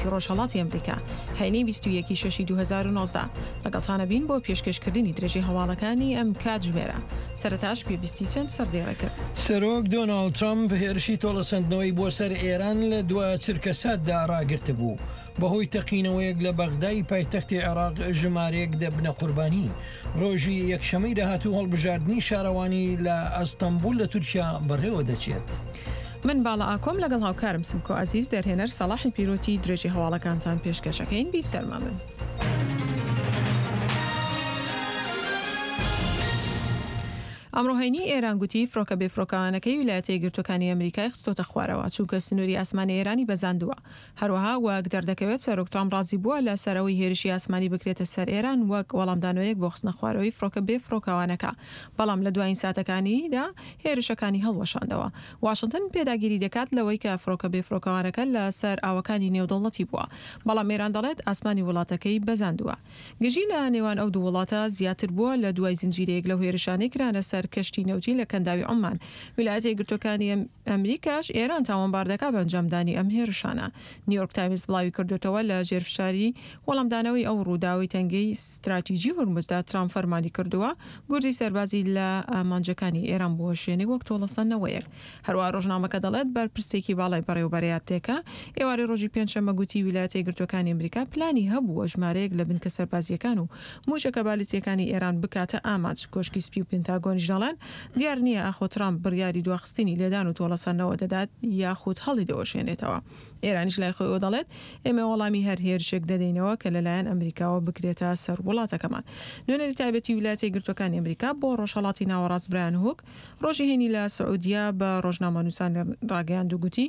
کاتی ڕۆژهەڵاتی ئەمریکا، هەینی 21 ی شەشی 2019. لەگەڵتانە بین بۆ پێشکێشکردنی درێژەی هەواڵەکانی ئەم کاتژمێرە. سەرەتاش گوێبیستی چەند سەردێڕێکن. سەرۆک دۆناڵد ترەمپ هێرشی تۆڵەسەندنەوەی بۆ سەر ئێران لە دوا چرکەساتدا ڕاگرتبوو، بەهۆی تەقینەوەیەک لە بەغدای پایتەختی عێراق ژمارەیەک دەبنە قوربانی. ڕۆژی یەکشەمەی داهاتوو هەڵبژاردنی شارەوانی لە ئەستەنبوڵ لە تورکیا بەڕێوەدەچێت. من باڵا ئاکۆم لەگەڵ هاوکارم سمکۆ عەزیز دەرهێنەر سەڵاحی پیرۆتی درێژەی هەواڵەکانتان پێشکەش ئەکەین بیسەرمە من. ئەمڕۆ هەینی ئێران گوتی فڕۆکە بێفڕۆکەوانەکەی ویلایەتە یەکگرتووەکانی ئەمریکای خستۆتە خوارەوە، چونکە سنووری ئاسمانی ئێرانی بەزاندووە. هەروەها وەک دەردەکەوێت سەرۆک ترامپ ڕازی بووە لە سەر ئەوەی هێرشی ئاسمانی بکرێتە سەر ئێران وەک وەڵامدانەوەیەک بۆ خستنە خوارەوەی فڕۆکە بێفڕۆکەوانەکە، بەڵام لە دوایین ساتەکانیدا هێرشەکانی هەڵوەشاندەوە. واشنتن پێداگیری دەکات لەوەی کە فڕۆکە بێفڕۆکەوانەکە لە سەر ئاوەکانی نێودەوڵەتی بووە، بەڵام ئێران دەڵێت ئاسمانی وڵاتەکەی بەزاندووە. گرژی لە نێوان ئەو دوو وڵاتە زیاتر بووە لە دوای زنجیرەیەک لەو هێرشانەی کرانە سەر کەشتی نەوتی لە کەنداوی عوممان. ویلایەتە یەکگرتووەکانی ئەمریکاش ئێران تاوانبار دەکات بە ئەنجامدانی ئەم هێرشانە. نیویۆرک تایمز بڵاوی کردۆتەوە لە ژێر فشاری وەڵامدانەوەی ئەو ڕووداوەی تەنگەی ستراتیجی هورمزدا ترامپ فەرمانی کردووە گورزی سەربازی لە ئامانجەکانی ئێران بوەشێنێ وەک تۆڵەسەندنەوەیەک. هەروەها ڕۆژنامەکە دەڵێت بەرپرسێکی باڵای بەڕێوەبەرایەتێکە ئێوارەی ڕۆژی پێنجشەممە گوتی ویلایەتە یەکگرتووەکانی ئەمریکا پلانی هەبووە ژمارەیەک لە بنکە سەربازییەکان و مووشەکە بالیستییەکانی ئێران بکاتە ئامانج. کۆشکی سپی و پنتاگۆنیش دەڵێن دیار نییە ئاخۆ ترامپ بڕیاری دواخستنی لێدان و تۆڵەسەندنەوە دەدات یاخود هەڵیدەوەشێنێتەوە. ئێرانیش لای خۆیەوە دەڵێت ئێمە وەڵامی هەر هێرشێک دەدەینەوە کە لەلایەن ئەمریکاوە بکرێتە سەر وڵاتەکەمان. نوێنەری تایبەتی ویلایەتە یەکگرتووەکانی ئەمریکا بۆ ڕۆژهەڵاتی ناوەڕاست برایان هوک ڕۆژی هەینی لە سعودیە بە ڕۆژنامەنووسانی ڕاگەیاند و گوتی،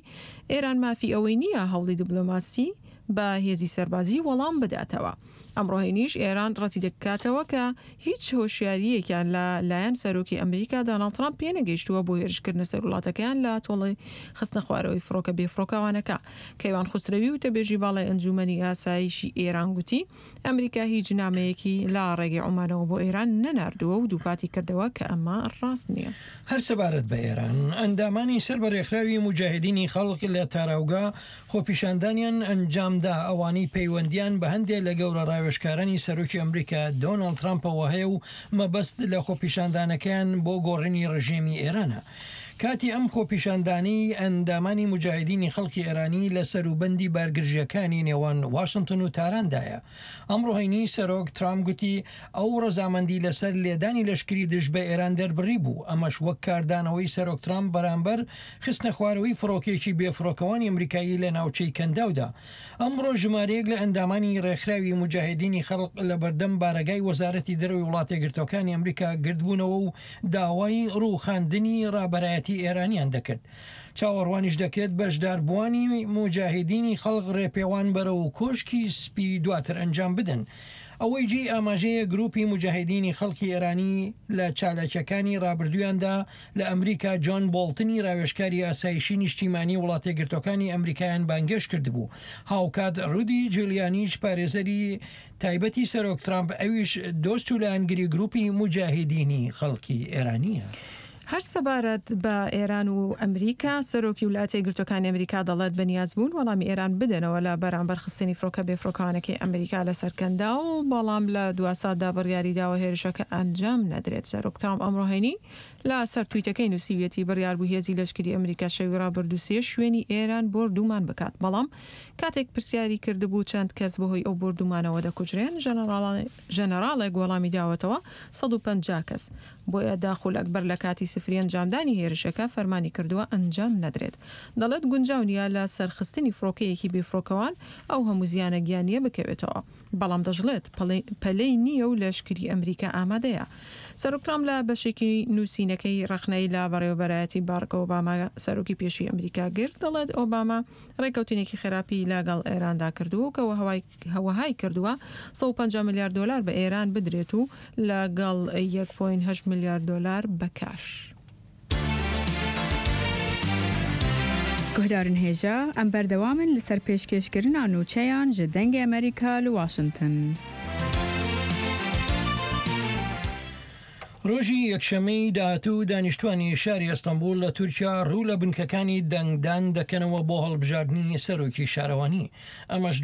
ئێران مافی ئەوەی نییە هەوڵی دیبلۆماسی بە هێزی سەربازی وەڵام بداتەوە. ئەمڕۆ هەینیش ئێران ڕەتیدەکاتەوە کە هیچ هۆشیارییەکیان لە لایەن سەرۆکی ئەمریکا داناڵد ترامپ پێنەگەیشتووە بۆ هێرشکردنە سەر وڵاتەکەیان لە تۆڵەی خستنەخوارەوەی فڕۆکە بێفڕۆکەوانەکە. کەیوان خوسرەوی وتەبێژی باڵای ئەنجوومەنی ئاسایشی ئێران گوتی، ئەمریکا هیچ نامەیەکی لە ڕێگەی عومانەوە بۆ ئێران نەناردووە و دووپاتی کردەوە کە ئەمە ڕاست نییە. هەر سەبارەت بە ئێران، ئەندامانی سەر بە رێکخراوی موجاهیدینی خەڵق لە تاراوگە خۆپیشاندانیان ئەنجامدا، ئەوانەی پەیوەندیان بە هەندێ لە گەورە راوێژکارانی سەرۆکی ئەمریکا دۆناڵد ترامپەوە هەیە و مەبەست لە خۆپیشاندانەکەیان بۆ گۆڕینی رژێمی ئێرانە. کاتی ئەم خۆپیشاندانەی ئەندامانی موجاهیدینی خەڵکی ئێرانی لە سەروبەندی بارگرژییەکانی نێوان واشنتن و تاراندایە. ئەمڕۆ هەینی سەرۆک ترامپ گوتی ئەو ڕەزامەندی لەسەر لێدانی لەشکری دژ بە ئێران دەربڕیبوو، ئەمەش وەک کاردانەوەی سەرۆک ترامپ بەرامبەر خستنەخوارەوەی فڕۆکەیەکی بێفڕۆکەوانی ئەمریکایی لە ناوچەی کەنداودا. ئەمڕۆ ژمارەیەک لە ئەندامانی ڕێکخراوی موجاهیدینی خەڵق لە بەردەم بارەگای وەزارەتی دەرەوەی وڵاتەیەکگرتووەکانی ئەمریکا گردبوونەوە و داوای ڕووخاندنی ڕابەرایەتی ئێرانیان دەکرد. چاوەڕوانیش دەکرێت بەشداربووانی موجاهیدینی خەڵق ڕێپێوان بەرەو کۆشکی سپی دواتر ئەنجام بدەن. ئەوەی جێی ئاماژەیە گروپی موجاهیدینی خەڵکی ئێرانی لە چالاکیەکانی ڕابردوویاندا لە ئەمریکا جۆن بۆڵتنی راوێژکاری ئاسایشی نیشتیمانی وڵاتەیەکگرتوەکانی ئەمریکایان بانگێشت کردبوو، هاوکات رودی جولیانیش پارێزەری تایبەتی سەرۆک ترامپ ئەویش دۆست و لایەنگری گروپی موجاهیدینی خەڵکی ئێرانیە. هەر سەبارەت بە ئێران و ئەمریکا، سەرۆکی ولایەتە یەکگرتووەکانی ئەمریکا دەڵێت بەنیازبوون وەڵامی ئێران بدەنەوە لە بەرامبەر خستنی فڕۆکە بێفڕۆکەوانەکەی ئەمریکا لەسەر کەنداو، بەڵام لە دواساتدا بڕیاریداوە هێرشەکە ئەنجام نەدرێت. سەرۆک ترامپ ئەمڕۆ هەینی لە سەر تویتەکەی نووسیویەتی بڕیاربوو هێزی لەشکری ئەمریکا شەوی ڕابردوو سێ شوێنی ئێران بۆردومان بکات، بەڵام کاتێک پرسیاری کردبوو چەند کەس بەهۆی ئەو بۆردومانەوە دەکوژرێن، ژەنەراڵێک وەڵامی داوەتەوە 150 کەس. بۆیە دە خولەک بەر لە کاتی سفری ئەنجامدانی هێرشەکە فەرمانی کردووە ئەنجام نەدرێت. دەڵێت گونجاو نییە لە سەرخستنی فڕۆکەیەکی بێفڕۆکەوان ئەو هەموو زیانە گیانییە بکەوێتەوە. بەڵام دەشڵێت پەلەی نییە و لەشکری ئەمریکا ئامادەیە. سەرۆک ترامپ لە بەشێکی نووسینەکەی ڕەخنەی لە بەڕێوەبەرایەتی باڕک ئۆباما سەرۆکی پێشووی ئەمریکا گرت، دەڵێت ئۆباما ڕێککەوتنێکی خراپی لەگەڵ ئێراندا کردووە کە وەهای کردووە 150 ملیار دۆلار بە ئێران بدرێت و لەگەڵ یەک پۆینت هەشت ملیار دۆلار بە کاش. Guhdarên hêja, em berdewam in li ser pêşkêşkirina nûçeyan ji Dengê Amerîka li Washington. ڕۆژی یەکشەممەی داهاتوو دانیشتوانی شاری ئەستەنبوڵ لە تورکیا ڕوو لە بنکەکانی دەنگدان دەکەنەوە بۆ هەڵبژاردنی سەرۆکی شارەوانی. ئەمەش.